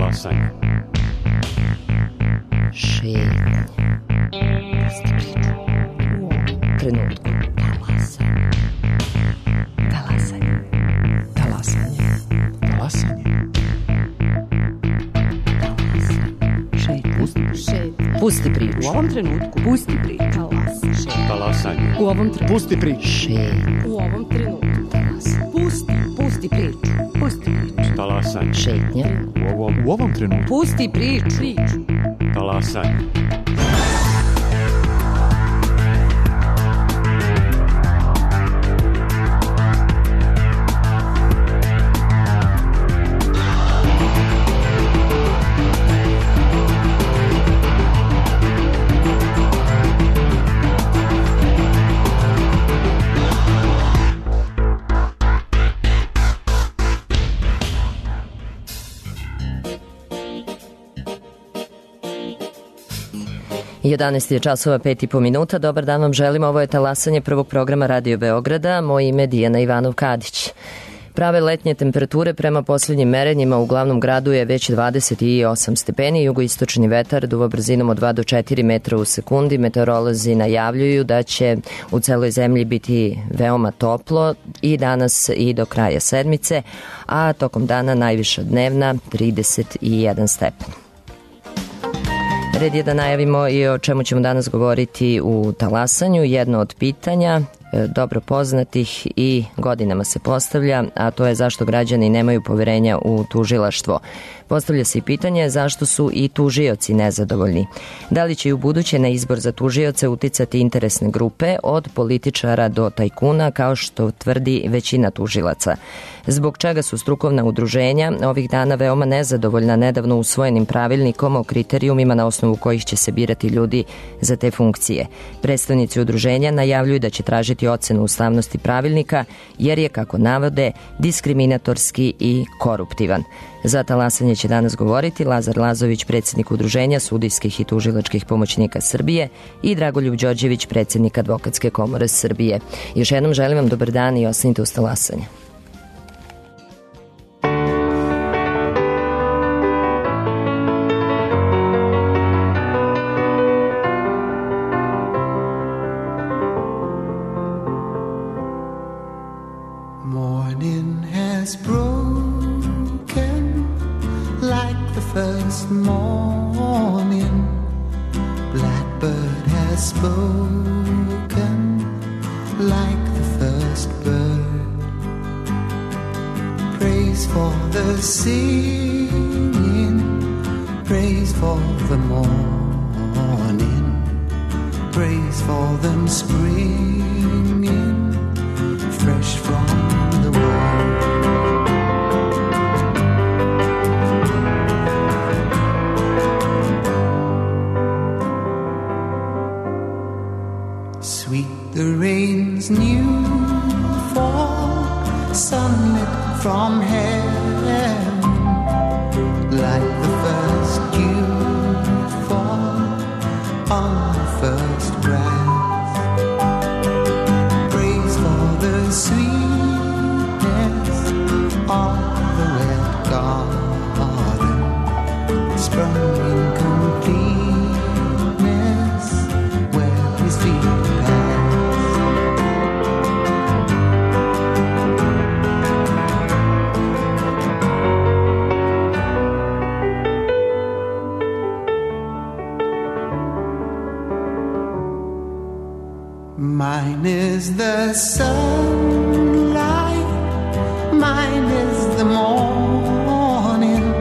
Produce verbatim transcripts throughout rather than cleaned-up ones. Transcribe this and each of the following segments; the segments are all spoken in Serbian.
Talasanje. Šetnje. Pusti priču. U ovom trenutku. Talasanje. Talasanje. Talasanje. Talasanje. Pusti priču. U ovom trenutku. Pusti priču. Talas. Talasanje. U ovom trenutku. Pusti priču. Šetnje. U ovom trenutku. Talas. Pusti. Pusti priču. Pusti priču. Talasanje. Šetnje. U ovom, U ovom trenutku. Pusti priču. Priču. talasanje. jedanaest je časova, pet i po minuta. Dobar dan vam želim. Ovo je talasanje prvog programa Radio Beograda. Moje ime je Dijana Ivanov-Kadić. Prave letnje temperature prema posljednjim merenjima u glavnom gradu je već dvadeset osam stepeni. Jugoistočni vetar duva brzinom od dva do četiri metra u sekundi. Meteorolozi najavljuju da će u celoj zemlji biti veoma toplo i danas i do kraja sedmice, a tokom dana najviša dnevna trideset jedan stepen. Red je da najavimo i o čemu ćemo danas govoriti u talasanju. Jedno od pitanja dobro poznatih i godinama se postavlja, a to je zašto građani nemaju poverenja u tužilaštvo. Postavlja se i pitanje zašto su i tužioci nezadovoljni. Da li će i u buduće na izbor za tužioce uticati interesne grupe od političara do tajkuna, kao što tvrdi većina tužilaca. Zbog čega su strukovna udruženja ovih dana veoma nezadovoljna nedavno usvojenim pravilnikom o kriterijumima na osnovu kojih će se birati ljudi za te funkcije. Predstavnici udruženja najavljuju da će tražiti ocenu ustavnosti pravilnika, jer je, kako navode, diskriminatorski i koruptivan. Za talasanje će danas govoriti Lazar Lazović, predsjednik Udruženja sudijskih i tužilačkih pomoćnika Srbije, i Dragoljub Đorđević, predsjednik Advokatske komore Srbije. Još jednom želim vam dobar dan i ostanite uz talasanje. Mine is the sunlight, mine is the morning,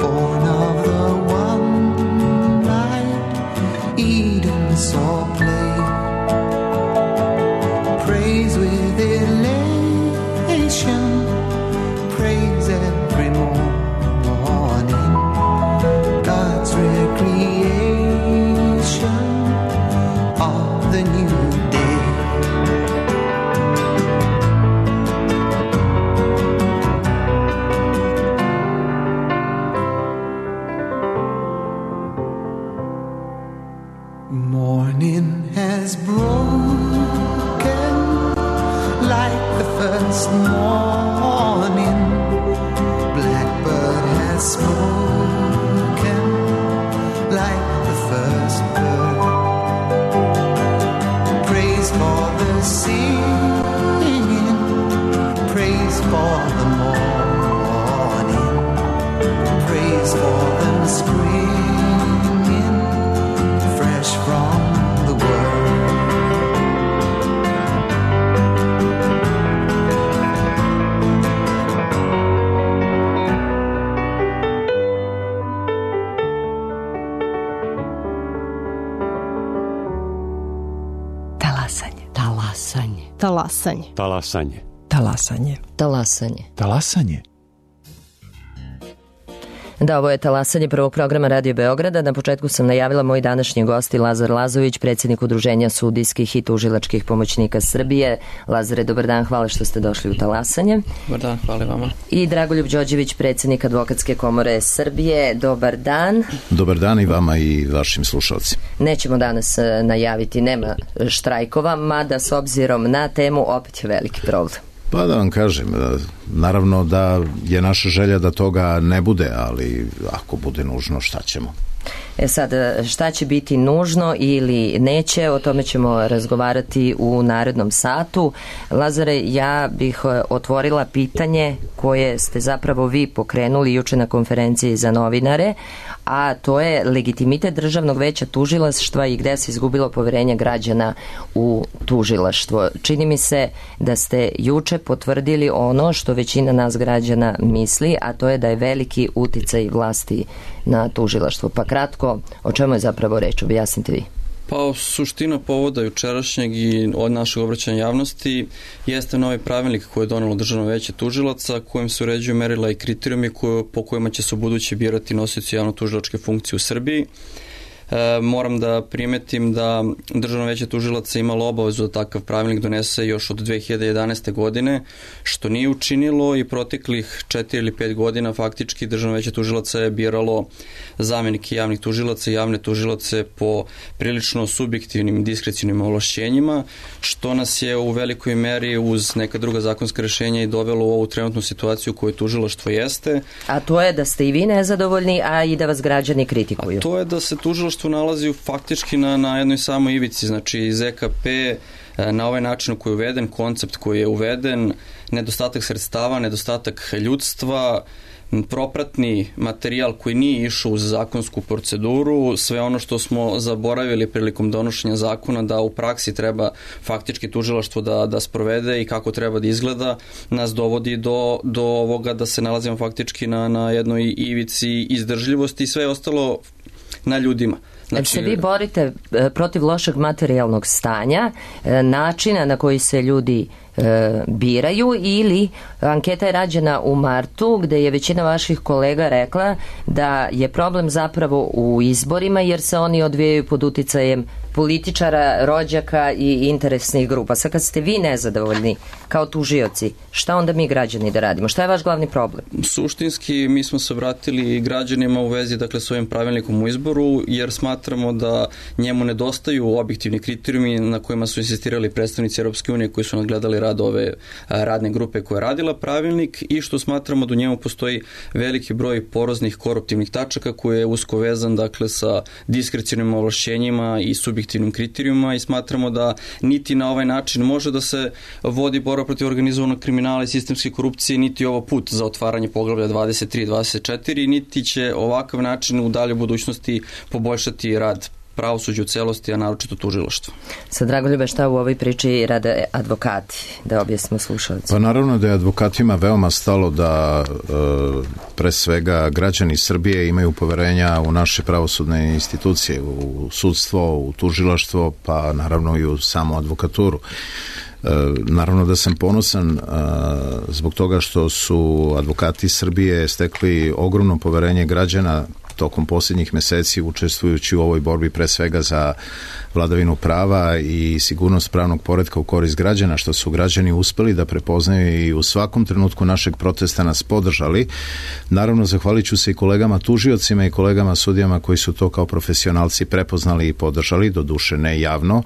born of the one light Eden saw play. Praise with elation, praise every morning, God's recreation of the new day. Morning has broken like the first morning, blackbird has spoken others singing praise for the morning, praise for them springing fresh from the world. Talasanje. Talasanje. Talasanje. Talasanje. Talasanje. Talasanje. Talasanje. Da, ovo je Talasanje prvog programa Radio Beograda. Na početku sam najavila moj današnji gost Lazar Lazović, predsjednik Udruženja sudijskih i tužilačkih pomoćnika Srbije. Lazare, dobar dan, hvala što ste došli u Talasanje. Dobar dan, hvala vama. I Dragoljub Đorđević, predsjednik Advokatske komore Srbije. Dobar dan. Dobar dan i vama i vašim slušalcima. Nećemo danas najaviti, nema štrajkova, mada s obzirom na temu opet je veliki problem. Pa da vam kažem, naravno da je naša želja da toga ne bude, ali ako bude nužno, šta ćemo? E sad, šta će biti nužno ili neće, o tome ćemo razgovarati u narednom satu. Lazare, ja bih otvorila pitanje koje ste zapravo vi pokrenuli juče na konferenciji za novinare, a to je legitimitet Državnog veća tužilaštva i gde se izgubilo poverenje građana u tužilaštvo. Čini mi se da ste juče potvrdili ono što većina nas građana misli, a to je da je veliki uticaj vlasti na tužilaštvo. Pa kratko, o čemu je zapravo reč? Objasnite vi. Pa suština povoda jučerašnjeg i od našeg obraćanja javnosti jeste novi pravilnik koji je donelo Državno veće tužilaca, kojim se uređuju merila i kriterijumi koje, po kojima će se u buduće birati nosioci javno-tužilačke funkcije u Srbiji. E, moram da primetim da Državno veće tužilaca imalo obavezu da takav pravilnik donese još od dve hiljade jedanaeste. godine, što nije učinilo i proteklih četiri ili pet godina faktički Državno veće tužilaca je biralo zamenike javnih tužilaca i javne tužilace po prilično subjektivnim diskrecijnim ovlašćenjima, što nas je u velikoj meri uz neka druga zakonska rešenja i dovelo u ovu trenutnu situaciju koju tužilaštvo jeste. A to je da ste i vi nezadovoljni, a i da vas građani kritikuju. A to je da se tužilaštvo nalazi faktički na, na jednoj samoj ivici, znači Z K P na ovaj način koji je uveden, koncept koji je uveden, nedostatak sredstava, nedostatak ljudstva, propratni materijal koji nije išao uz zakonsku proceduru, sve ono što smo zaboravili prilikom donošenja zakona da u praksi treba faktički tužilaštvo da, da sprovede i kako treba da izgleda, nas dovodi do, do ovoga da se nalazimo faktički na, na jednoj ivici izdržljivosti i sve ostalo na ljudima. Znači, se vi borite protiv lošeg materijalnog stanja, načina na koji se ljudi e, biraju, ili anketa je rađena u martu gde je većina vaših kolega rekla da je problem zapravo u izborima jer se oni odvijaju pod uticajem političara, rođaka i interesnih grupa. Sad kad ste vi nezadovoljni kao tužioci, šta onda mi građani da radimo? Šta je vaš glavni problem? Suštinski mi smo se vratili građanima u vezi dakle s ovim pravilnikom u izboru jer smatramo da njemu nedostaju objektivni kriterijumi na kojima su insistirali predstavnici Europske unije koji su nadgledali rad ove radne grupe koja je radila pravilnik i što smatramo da u njemu postoji veliki broj poroznih koruptivnih tačaka koji je usko vezan dakle sa diskrecionim ovlašćenjima i subjektivnim kriterijuma i smatramo da niti na ovaj način može da se vodi borba protiv organizovanog kriminala i sistemske korupcije, niti ovo put za otvaranje poglavlja dvadeset tri i dvadeset četiri, niti će ovakav način u daljoj budućnosti poboljšati rad pravosuđe u celosti, a naročito tužilaštvo. Sad, Dragoljube, šta u ovoj priči rade advokati, da objasnimo slušalci? Pa naravno da je advokatima veoma stalo da e, pre svega građani Srbije imaju poverenja u naše pravosudne institucije, u sudstvo, u tužilaštvo, pa naravno i u samu advokaturu. E, naravno da sam ponosan a, zbog toga što su advokati Srbije stekli ogromno poverenje građana tokom posljednjih meseci učestvujući u ovoj borbi pre svega za vladavinu prava i sigurnost pravnog poretka u korist građana, što su građani uspeli da prepoznaju i u svakom trenutku našeg protesta nas podržali. Naravno, zahvalit ću se i kolegama tužiocima i kolegama sudijama koji su to kao profesionalci prepoznali i podržali, do duše ne javno,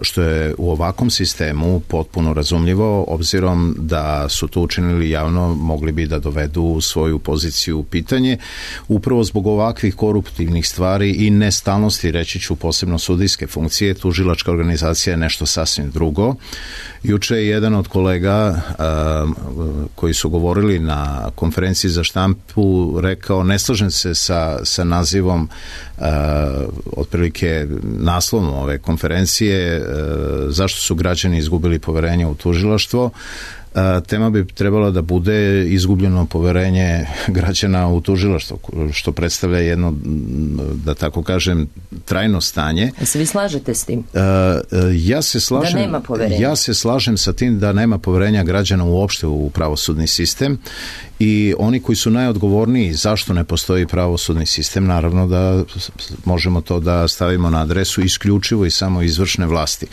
što je u ovakvom sistemu potpuno razumljivo, obzirom da su to učinili javno, mogli bi da dovedu svoju poziciju u pitanje. Upravo zbog zbog ovakvih koruptivnih stvari i nestalnosti, reći ću posebno sudijske funkcije, tužilačka organizacija je nešto sasvim drugo. Juče je jedan od kolega a, koji su govorili na konferenciji za štampu rekao, ne slažem se sa, sa nazivom a, otprilike naslovom ove konferencije, a, zašto su građani izgubili poverenje u tužilaštvo. Tema bi trebala da bude izgubljeno poverenje građana u tužilaštvo, što predstavlja jedno, da tako kažem, trajno stanje. Se vi slažete s tim? Ja se slažem, da nema poverenja. Ja se slažem sa tim da nema poverenja građana uopšte u pravosudni sistem i oni koji su najodgovorniji zašto ne postoji pravosudni sistem, naravno da možemo to da stavimo na adresu isključivo i samo izvršne vlasti.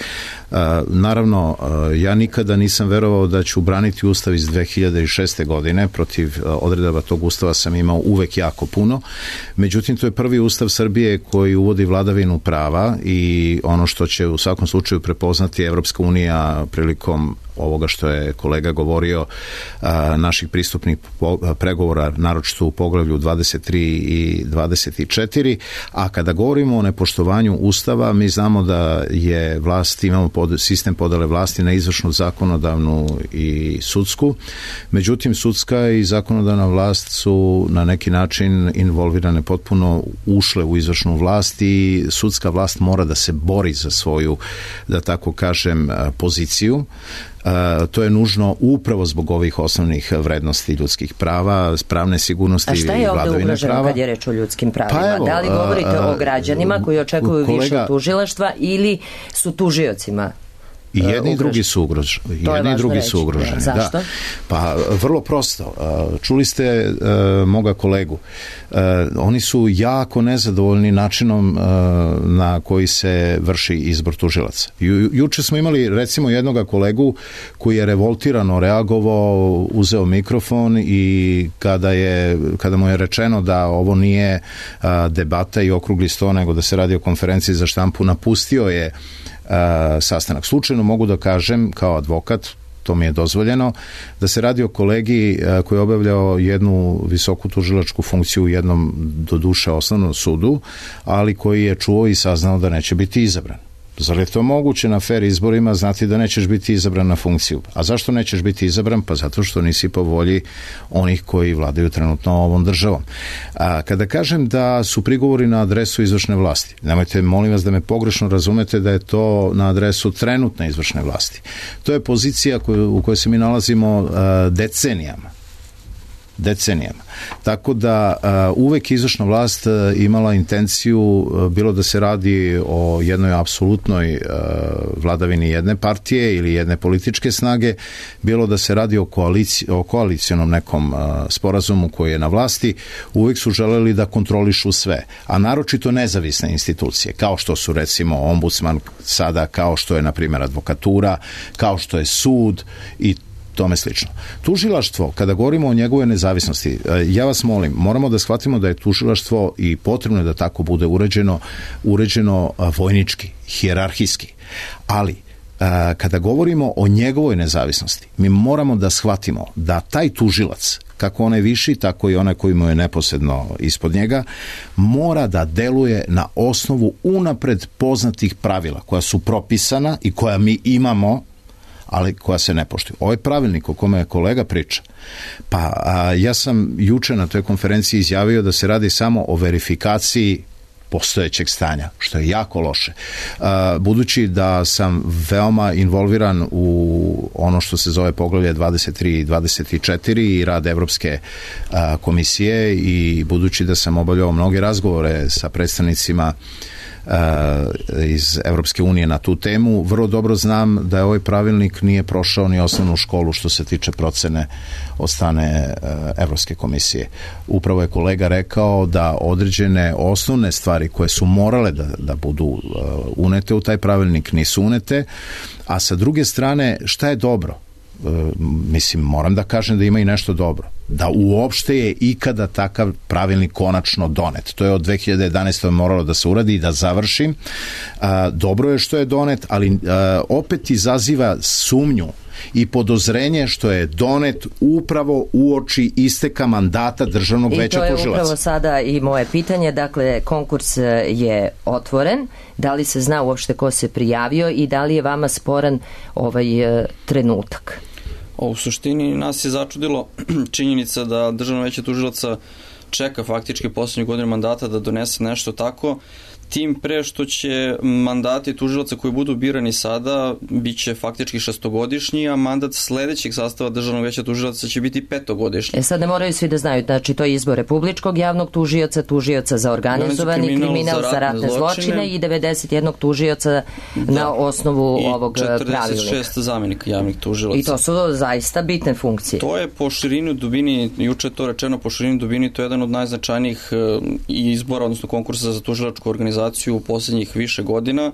Naravno, ja nikada nisam verovao da ću braniti ustav iz dve hiljade šeste. godine, protiv odredaba tog ustava sam imao uvek jako puno, međutim to je prvi ustav Srbije koji uvodi vladavinu prava i ono što će u svakom slučaju prepoznati Evropska unija prilikom ovoga što je kolega govorio, a, naših pristupnih po, pregovora, naročito u poglavlju dvadeset tri i dvadeset četiri, a kada govorimo o nepoštovanju ustava, mi znamo da je vlast, imamo pod, sistem podele vlasti na izvršnu, zakonodavnu i sudsku, međutim sudska i zakonodavna vlast su na neki način involvirane, potpuno ušle u izvršnu vlast i sudska vlast mora da se bori za svoju, da tako kažem, poziciju. Uh, to je nužno upravo zbog ovih osnovnih vrednosti ljudskih prava, pravne sigurnosti i vladavine prava. A šta je ovde ugroženo kad je reč o ljudskim pravima? Pa evo, da li govorite uh, o građanima koji očekuju kolega, više tužilaštva ili su tužiocima? I jedni i drugi su ugroženi. Jedni i drugi reći. su ugroženi. Zašto? Da. Pa vrlo prosto. Čuli ste uh, moga kolegu. Uh, oni su jako nezadovoljni načinom uh, na koji se vrši izbor tužilaca. Ju, juče smo imali recimo jednoga kolegu koji je revoltirano reagovao, uzeo mikrofon i kada je kada mu je rečeno da ovo nije uh, debata i okrugli sto, nego da se radi o konferenciji za štampu, napustio je Uh, sastanak. Slučajno mogu da kažem kao advokat, to mi je dozvoljeno, da se radi o kolegi uh, koji je obavljao jednu visoku tužilačku funkciju u jednom doduše osnovnom sudu, ali koji je čuo i saznao da neće biti izabran. Zar je to moguće na fer izborima znati da nećeš biti izabran na funkciju? A zašto nećeš biti izabran? Pa zato što nisi po volji onih koji vladaju trenutno ovom državom. A kada kažem da su prigovori na adresu izvršne vlasti, nemojte, molim vas da me pogrešno razumete da je to na adresu trenutne izvršne vlasti. To je pozicija koju, u kojoj se mi nalazimo a, decenijama. decenijama. Tako da uh, uvek izvršna vlast uh, imala intenciju, uh, bilo da se radi o jednoj apsolutnoj uh, vladavini jedne partije ili jedne političke snage, bilo da se radi o, koalici, o koalicijonom nekom uh, sporazumu koji je na vlasti, uvek su želeli da kontrolišu sve, a naročito nezavisne institucije, kao što su recimo ombudsman sada, kao što je na primjer advokatura, kao što je sud i tome slično. Tužilaštvo, kada govorimo o njegovoj nezavisnosti, ja vas molim, moramo da shvatimo da je tužilaštvo i potrebno je da tako bude uređeno, uređeno vojnički, hijerarhijski. Ali, kada govorimo o njegovoj nezavisnosti, mi moramo da shvatimo da taj tužilac, kako onaj viši, tako i onaj koji mu je neposredno ispod njega, mora da deluje na osnovu unapred poznatih pravila koja su propisana i koja mi imamo, ali koja se ne poštuju. Ovaj pravilnik o kome je kolega priča, pa a, ja sam juče na toj konferenciji izjavio da se radi samo o verifikaciji postojećeg stanja, što je jako loše. A, budući da sam veoma involviran u ono što se zove poglavlje dvadeset tri i dvadeset četiri i rad Evropske a, komisije i budući da sam obavljao mnoge razgovore sa predstavnicima iz Evropske unije na tu temu, vrlo dobro znam da je ovaj pravilnik nije prošao ni osnovnu školu što se tiče procene od strane Evropske komisije. Upravo je kolega rekao da određene osnovne stvari koje su morale da, da budu unete u taj pravilnik nisu unete, a sa druge strane šta je dobro? Mislim, moram da kažem da ima i nešto dobro. Da uopšte je ikada takav pravilnik konačno donet. To je od dve hiljade jedanaeste. moralo da se uradi i da završi. Dobro je što je donet, ali opet izaziva sumnju i podozrenje što je donet upravo uoči isteka mandata Državnog veća tužilaca. I to je upravo sada i moje pitanje, dakle konkurs je otvoren, da li se zna uopšte ko se prijavio i da li je vama sporan ovaj trenutak? O, u suštini nas je začudilo činjenica da Državno veće tužilaca čeka faktički poslednju godinu mandata da donese nešto tako, tim pre što će mandati tužilaca koji budu birani sada bit će faktički šestogodišnji, a mandat sledećeg sastava Državnog veća tužilaca će biti petogodišnji. E sad ne moraju svi da znaju, znači to je izbor republičkog javnog tužioca, tužioca za organizovani kriminal, kriminal za ratne zločine, zločine i devedeset jedan tužioca da, na osnovu i ovog pravilnika. I četrdeset šest zamenika javnih tužilaca. I to su zaista bitne funkcije. To je po širini dubini, juče je to rečeno, po širini dubini, to je jedan od najznačajnijih izbora, odnosno konkursa za tužilačku organizaciju u poslednjih više godina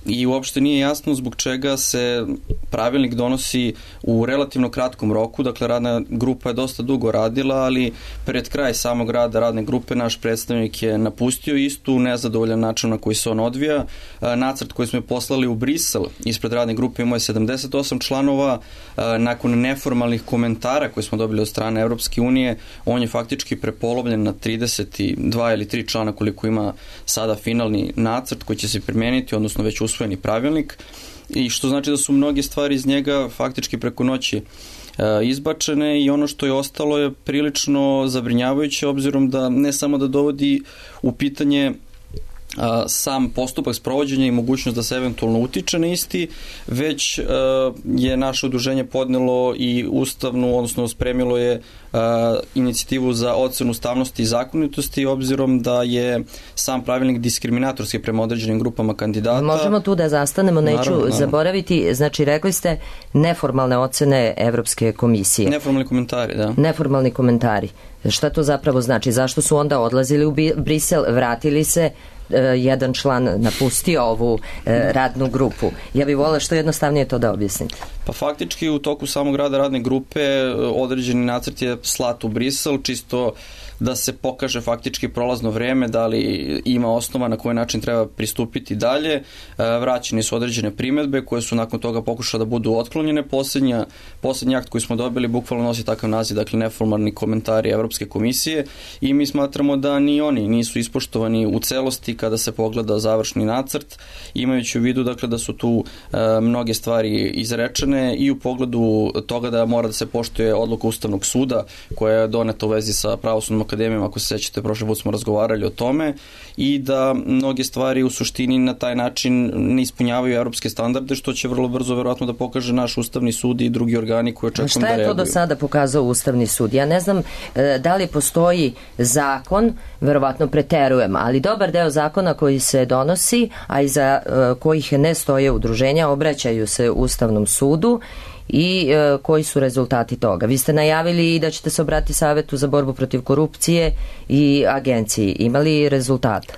i uopšte nije jasno zbog čega se pravilnik donosi u relativno kratkom roku, dakle radna grupa je dosta dugo radila, ali pred kraj samog rada radne grupe naš predstavnik je napustio istu nezadovoljan način na koji se on odvija. Nacrt koji smo je poslali u Brisel ispred radne grupe imao je sedamdeset osam članova, nakon neformalnih komentara koje smo dobili od strane Evropske unije, on je faktički prepolovljen na trideset dva ili tri člana koliko ima sada finalni nacrt koji će se primeniti, odnosno već usvojeni pravilnik, i što znači da su mnoge stvari iz njega faktički preko noći izbačene i ono što je ostalo je prilično zabrinjavajuće obzirom da ne samo da dovodi u pitanje sam postupak sprovođenja i mogućnost da se eventualno utiče na isti, već je naše udruženje podnelo i ustavnu, odnosno spremilo je inicijativu za ocenu ustavnosti i zakonitosti obzirom da je sam pravilnik diskriminatorski prema određenim grupama kandidata. Možemo tu da zastanemo, neću naravno, naravno. zaboraviti, znači rekli ste neformalne ocene Evropske komisije. Neformalni komentari, da. Neformalni komentari. Šta to zapravo znači? Zašto su onda odlazili u Brisel, vratili se, jedan član napustio ovu radnu grupu? Ja bih volila što jednostavnije to da objasnite. Pa faktički u toku samog rada radne grupe određeni nacrt je slat u Brisel, čisto da se pokaže faktički prolazno vreme, da li ima osnova na koji način treba pristupiti dalje. Vraćeni su određene primedbe koje su nakon toga pokušale da budu otklonjene. Poslednja, poslednji akt koji smo dobili bukvalno nosi takav naziv, dakle neformalni komentari Evropske komisije i mi smatramo da ni oni nisu ispoštovani u celosti kada se pogleda završni nacrt, imajući u vidu dakle da su tu e, mnoge stvari izrečene i u pogledu toga da mora da se poštuje odluka Ustavnog suda koja je doneta u vezi sa Pravosudnom akademijom, ako se sećate, prošli put smo razgovarali o tome, i da mnoge stvari u suštini na taj način ne ispunjavaju evropske standarde, što će vrlo brzo verovatno da pokaže naš Ustavni sud i drugi organi koji očekujem da reaguju. Šta je to do sada pokazao Ustavni sud? Ja ne znam da li postoji zakon, verovatno preterujem, ali dobar deo zakona koji se donosi, a iza kojih ne stoje udruženja, obraćaju se Ustavnom sudu i e, koji su rezultati toga. Vi ste najavili da ćete se obratiti Savetu za borbu protiv korupcije i agenciji. Imali rezultata?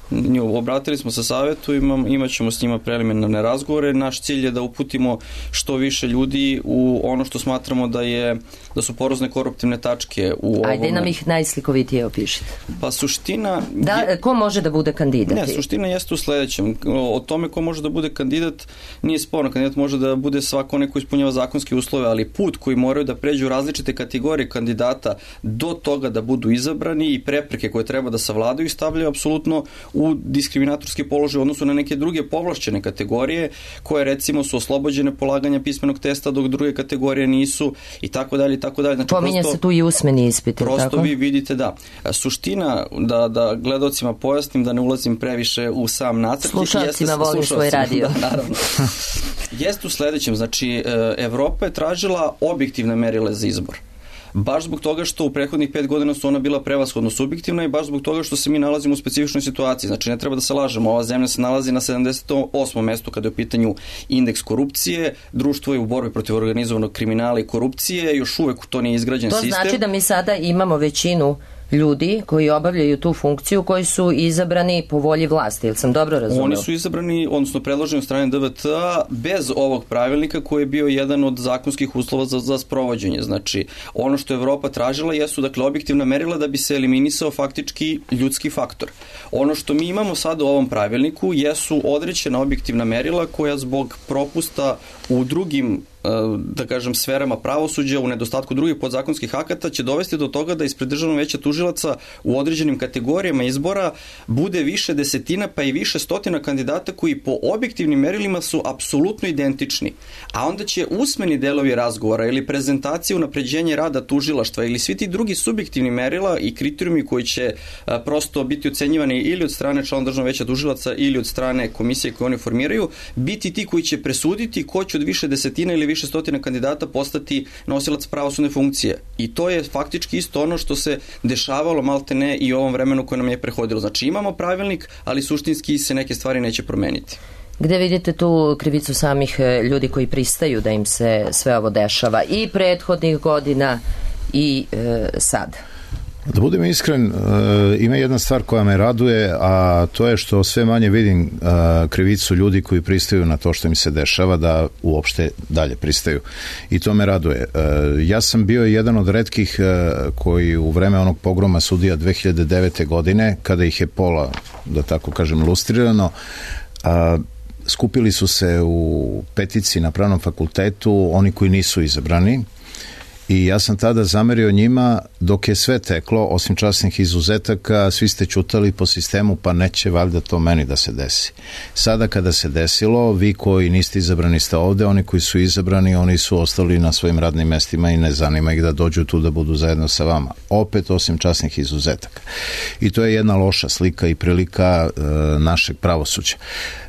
Obratili smo se Savetu, imam, imat ćemo s njima preliminarne razgovore. Naš cilj je da uputimo što više ljudi u ono što smatramo da je da su porozne koruptivne tačke u ovome. Ajde nam ih najslikovitije opišite. Pa suština... Da, je, ko može da bude kandidat? Ne, suština jeste u sledećem. O tome ko može da bude kandidat nije sporno. Kandidat može da bude svako onaj ko ispunjava zakonski uslove, ali put koji moraju da pređu različite kategorije kandidata do toga da budu izabrani i prepreke koje treba da savladaju i stavljaju apsolutno u diskriminatorski položaj u odnosu na neke druge povlašćene kategorije koje recimo su oslobođene polaganja pismenog testa dok druge kategorije nisu i tako dalje i tako dalje. Znači, pominje prosto, se tu i usmeni ispit. Prosto tako? Vi vidite da. Suština, da, da gledalcima pojasnim, da ne ulazim previše u sam nacrt. Slušalcima volim svoj radio. Da, naravno. Jeste u sledećem, znači Evropa je tražila objektivne merile za izbor. Baš zbog toga što u prethodnih pet godina su ona bila prevashodno subjektivna i baš zbog toga što se mi nalazimo u specifičnoj situaciji. Znači ne treba da se lažemo, ova zemlja se nalazi na sedamdeset osmom mestu kada je u pitanju indeks korupcije, društvo je u borbi protiv organizovanog kriminala i korupcije, još uvek to nije izgrađen to sistem. To znači da mi sada imamo većinu ljudi koji obavljaju tu funkciju koji su izabrani po volji vlasti, ili sam dobro razumela? Oni su izabrani, odnosno predloženi od strane D V T A bez ovog pravilnika koji je bio jedan od zakonskih uslova za, za sprovođenje. Znači, ono što je Evropa tražila jesu, dakle, objektivna merila da bi se eliminisao faktički ljudski faktor. Ono što mi imamo sada u ovom pravilniku jesu određena objektivna merila koja zbog propusta u drugim da kažem, sferama pravosuđa, u nedostatku drugih podzakonskih akata, će dovesti do toga da ispred Državnog veća tužilaca u određenim kategorijama izbora bude više desetina pa i više stotina kandidata koji po objektivnim merilima su apsolutno identični. A onda će usmeni delovi razgovora ili prezentacije unapređenja rada tužilaštva ili svi ti drugi subjektivni merila i kriterijumi koji će a, prosto biti ocenjivani ili od strane člana Državnog veća tužilaca ili od strane komisije koje oni formiraju, biti ti koji će presuditi ko će od više desetina ili više stotina kandidata postati nosilac pravosudne funkcije. I to je faktički isto ono što se dešavalo maltene i u ovom vremenu koje nam je prehodilo. Znači imamo pravilnik, ali suštinski se neke stvari neće promeniti. Gde vidite tu krivicu samih ljudi koji pristaju da im se sve ovo dešava i prethodnih godina i e, sad? Da budem iskren, uh, ima jedna stvar koja me raduje, a to je što sve manje vidim uh, krivicu ljudi koji pristaju na to što im se dešava, da uopšte dalje pristaju. I to me raduje. Uh, ja sam bio jedan od retkih uh, koji u vreme onog pogroma sudija dve hiljade devete. godine, kada ih je pola, da tako kažem, lustrirano, uh, skupili su se u petici na Pravnom fakultetu oni koji nisu izabrani. I ja sam tada zamerio njima, dok je sve teklo, osim časnih izuzetaka, svi ste ćutali po sistemu, pa neće valjda to meni da se desi. Sada kada se desilo, vi koji niste izabrani ste ovde, oni koji su izabrani, oni su ostali na svojim radnim mestima i ne zanima ih da dođu tu da budu zajedno sa vama. Opet osim časnih izuzetaka. I to je jedna loša slika i prilika e, našeg pravosuđa.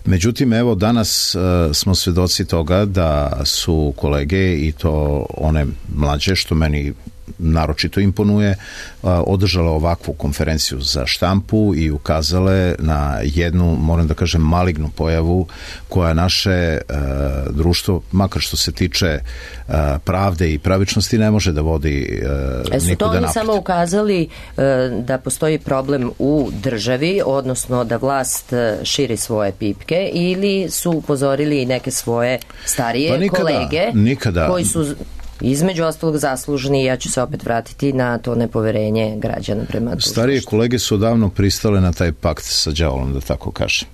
Međutim, evo danas e, smo svedoci toga da su kolege, i to one mlađe, što meni naročito imponuje, održala ovakvu konferenciju za štampu i ukazale na jednu, moram da kažem, malignu pojavu koja naše uh, društvo, makar što se tiče uh, pravde i pravičnosti, ne može da vodi uh, e, su nikuda to oni napred. samo ukazali uh, da postoji problem u državi, odnosno da vlast širi svoje pipke, ili su upozorili neke svoje starije pa nikada, kolege nikada. koji su između ostalog zaslužni, ja ću se opet vratiti na to nepoverenje građana prema tužilaštvu. Starije kolege su odavno pristale na taj pakt sa đavolom, da tako kažem.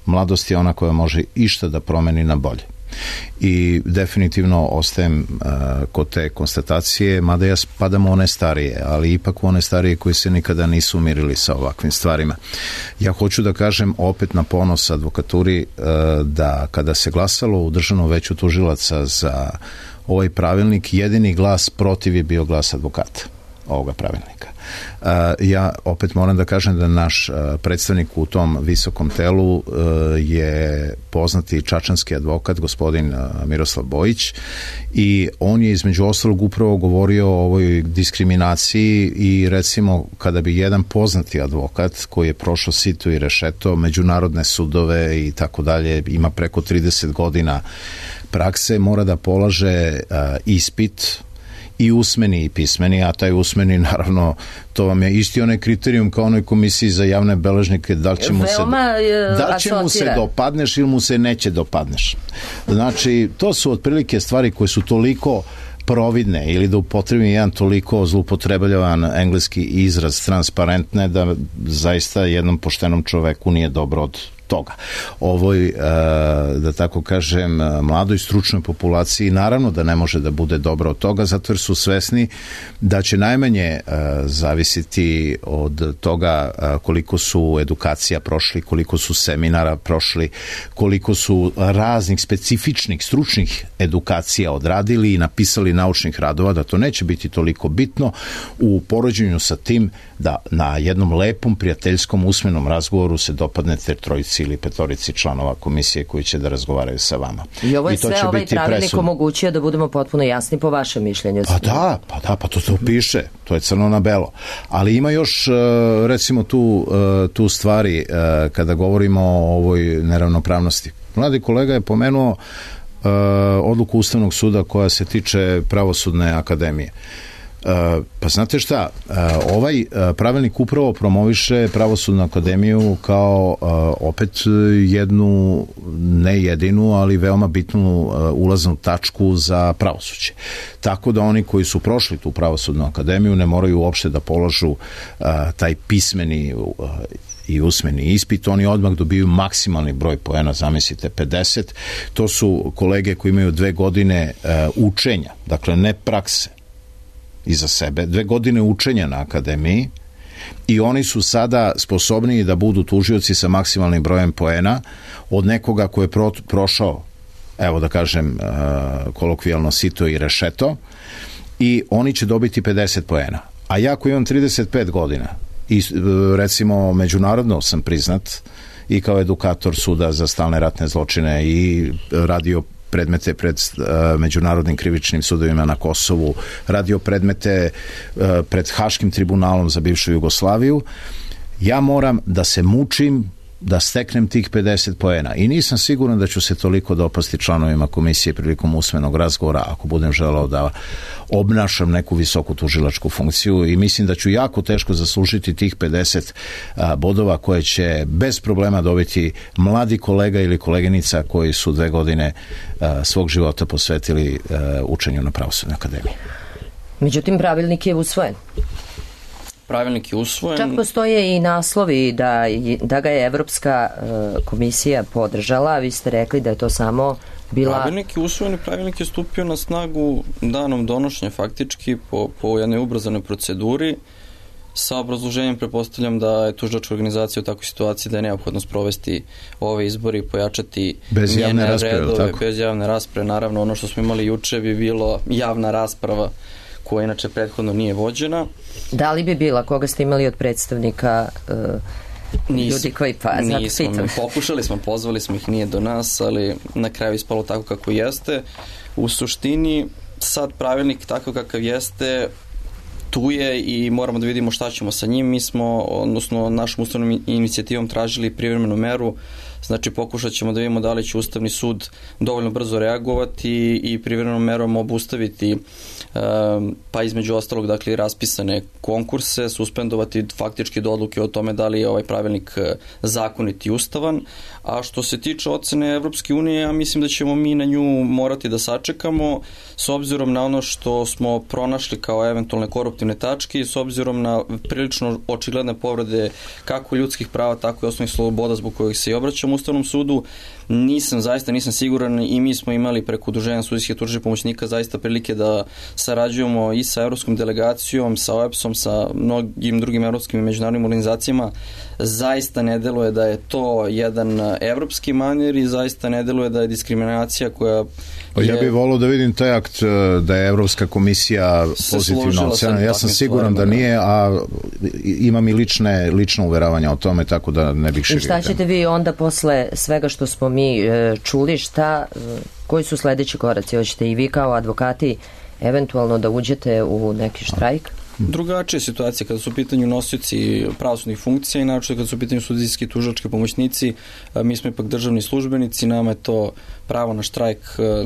Mladost je ona koja može išta da promeni na bolje. I definitivno ostajem uh, kod te konstatacije, mada ja spadam u one starije, ali ipak u one starije koji se nikada nisu umirili sa ovakvim stvarima. Ja hoću da kažem opet na ponos advokaturi uh, da kada se glasalo u Državnom veću tužilaca za ovaj pravilnik, jedini glas protiv je bio glas advokata ovoga pravilnika. Uh, ja opet moram da kažem da naš uh, predstavnik u tom visokom telu uh, je poznati čačanski advokat, gospodin uh, Miroslav Bojić, i on je između ostalog upravo govorio o ovoj diskriminaciji i recimo kada bi jedan poznati advokat koji je prošao sito i rešeto, međunarodne sudove i tako dalje, ima preko trideset godina prakse, mora da polaže uh, ispit i usmeni i pismeni, a taj usmeni, naravno, to vam je isti onaj kriterijum kao onoj komisiji za javne beležnike, da li će mu se, da li će mu se dopadneš ili mu se neće dopadneš. Znači, to su otprilike stvari koje su toliko providne, ili da upotrebim jedan toliko zloupotrebljavan engleski izraz, transparentne, da zaista jednom poštenom čoveku nije dobro od toga. Ovoj, da tako kažem, mladoj stručnoj populaciji naravno da ne može da bude dobro od toga, zato jer su svesni da će najmanje zavisiti od toga koliko su edukacija prošli, koliko su seminara prošli, koliko su raznih specifičnih stručnih edukacija odradili i napisali naučnih radova, da to neće biti toliko bitno u poređenju sa tim da na jednom lepom prijateljskom usmenom razgovoru se dopadnete trojici ili petorici članova komisije koji će da razgovaraju sa vama. I ovo je I sve ovaj pravilnik omogućio, da budemo potpuno jasni po vašem mišljenju. Pa da, pa da, pa to to piše, to je crno na belo. Ali ima još recimo tu, tu stvari kada govorimo o ovoj neravnopravnosti. Mladi kolega je pomenuo odluku Ustavnog suda koja se tiče Pravosudne akademije. Pa znate šta, ovaj pravilnik upravo promoviše Pravosudnu akademiju kao opet jednu, ne jedinu, ali veoma bitnu ulaznu tačku za pravosuđe. Tako da oni koji su prošli tu Pravosudnu akademiju ne moraju uopšte da položu taj pismeni i usmeni ispit, oni odmah dobiju maksimalni broj poena, zamislite pedeset. To su kolege koji imaju dve godine uh, učenja, dakle ne prakse iza sebe, dve godine učenja na akademiji, i oni su sada sposobniji da budu tužioci sa maksimalnim brojem poena od nekoga ko je pro, prošao, evo da kažem uh, kolokvijalno, sito i rešeto, i oni će dobiti pedeset poena. A ja koji imam trideset pet godina i recimo međunarodno sam priznat i kao edukator suda za stalne ratne zločine i radio predmete pred uh, međunarodnim krivičnim sudovima na Kosovu, radio predmete uh, pred Haškim tribunalom za bivšu Jugoslaviju, ja moram da se mučim da steknem tih pedeset poena i nisam siguran da ću se toliko dopasti članovima komisije prilikom usmenog razgovora ako budem želeo da obnašam neku visoku tužilačku funkciju, i mislim da ću jako teško zaslužiti tih pedeset a, bodova koje će bez problema dobiti mladi kolega ili koleginica koji su dve godine a, svog života posvetili a, učenju na Pravosudnoj akademiji. Međutim, pravilnik je usvojen. Pravilnik je usvojen. Čak postoje i naslovi da, da ga je Evropska uh, komisija podržala, a vi ste rekli da je to samo bila... Pravilnik je usvojen i pravilnik je stupio na snagu danom donošenja, faktički po, po jednoj ubrzanoj proceduri, sa obrazloženjem. Pretpostavljam da je tužilačka organizacija u takvoj situaciji da je neophodno sprovesti ove izbori i pojačati bez javne rasprave, redove, bez javne rasprave. Naravno, ono što smo imali juče bi bilo javna rasprava koja inače prethodno nije vođena. Da li bi bila, koga ste imali od predstavnika uh, Nis, ljudi koji pa, nismo, pokušali smo, pozvali smo ih, nije do nas, ali na kraju ispalo tako kako jeste. U suštini, sad pravilnik tako kakav jeste, tu je i moramo da vidimo šta ćemo sa njim. Mi smo, odnosno našom ustavnom inicijativom tražili privremenu meru, znači pokušat ćemo da vidimo da li će Ustavni sud dovoljno brzo reagovati i privremenom merom obustaviti pa između ostalog, dakle, raspisane konkurse, suspendovati faktički do odluke o tome da li je ovaj pravilnik zakonit i ustavan. A što se tiče ocene Evropske unije, ja mislim da ćemo mi na nju morati da sačekamo s obzirom na ono što smo pronašli kao eventualne koruptivne tačke i s obzirom na prilično očigledne povrede kako ljudskih prava, tako i osnovnih sloboda zbog kojih se i obraćamo Ustavnom sudu. Nisam, zaista nisam siguran, i mi smo imali preko udruženja sudijskih tužilačkih pomoćnika zaista prilike da sarađujemo i sa evropskom delegacijom, sa O E P S-om, sa mnogim drugim evropskim i međunarodnim organizacijama. Zaista ne deluje da je to jedan evropski manir i zaista ne deluje da je diskriminacija koja je... Ja bih volio da vidim taj akt da je Evropska komisija pozitivno ocenila. Ja sam siguran da nije, a imam i lične, lično uveravanja o tome, tako da ne bih širio. I šta ćete vi onda posle svega što smo mi čuli, šta, koji su sledeći koraci? Hoćete i vi kao advokati eventualno da uđete u neki štrajk? Drugačija situacija kada su u pitanju nosioci pravosudnih funkcija i naročito kada su u pitanju sudijski tužilački pomoćnici. Mi smo ipak državni službenici, nama je to pravo na štrajk,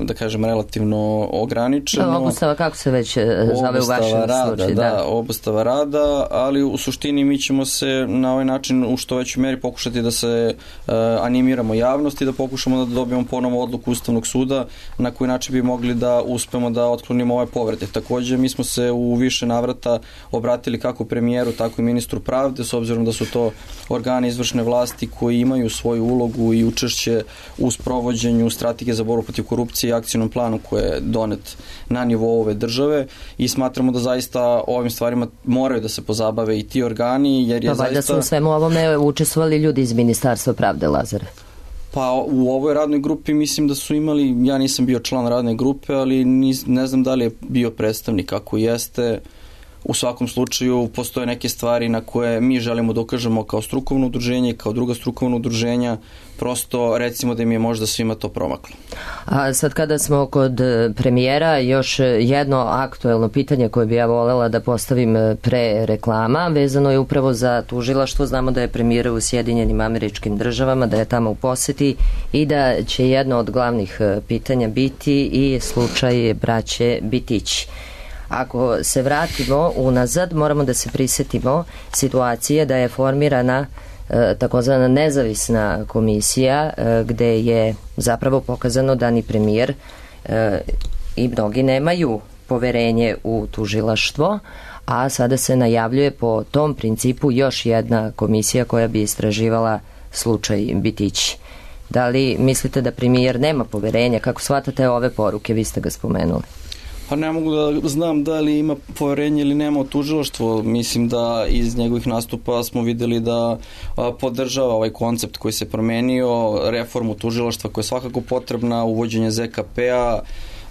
da kažem, relativno ograničeno. Da, obustava, kako se već zove u vašem rada, slučaju? Da, da, obustava rada, ali u suštini mi ćemo se na ovaj način u što većoj meri pokušati da se uh, animiramo javnosti, da pokušamo da dobijemo ponovo odluku Ustavnog suda na koji način bi mogli da uspemo da otklonimo ove povrede. Takođe, mi smo se u više navrata obratili kako premijeru, tako i ministru pravde, s obzirom da su to organi izvršne vlasti koji imaju svoju ulogu i učešće u sprovođenju strategije za borbu protiv korupcije i akcijnom planu koji je donet na nivou ove države, i smatramo da zaista ovim stvarima moraju da se pozabave i ti organi, jer je pa, zaista... Pa valjda su u svemu ovome učestvovali ljudi iz Ministarstva pravde, Lazare. Pa u ovoj radnoj grupi mislim da su imali, ja nisam bio član radne grupe, ali nis, ne znam da li je bio predstavnik. Ako jeste, u svakom slučaju postoje neke stvari na koje mi želimo da ukažemo kao strukovno udruženje, kao druga strukovna udruženja, prosto recimo da im je možda svima to promaklo. A sad kada smo kod premijera, još jedno aktuelno pitanje koje bi ja volela da postavim pre reklama, vezano je upravo za tužilaštvo. Znamo da je premijer u Sjedinjenim Američkim Državama, da je tamo u poseti i da će jedno od glavnih pitanja biti i slučaj braće Bitić. Ako se vratimo unazad, moramo da se prisetimo situacije da je formirana e, takozvana nezavisna komisija e, gde je zapravo pokazano da ni premijer e, i mnogi nemaju poverenje u tužilaštvo, a sada se najavljuje po tom principu još jedna komisija koja bi istraživala slučaj Bitići. Da li mislite da premijer nema poverenja? Kako shvatate ove poruke? Vi ste ga spomenuli. Pa ne mogu da znam da li ima poverenje ili nema u tužilaštvo. Mislim da iz njegovih nastupa smo videli da a, podržava ovaj koncept koji se promenio, reformu tužilaštva koja je svakako potrebna, uvođenje Z K P-a,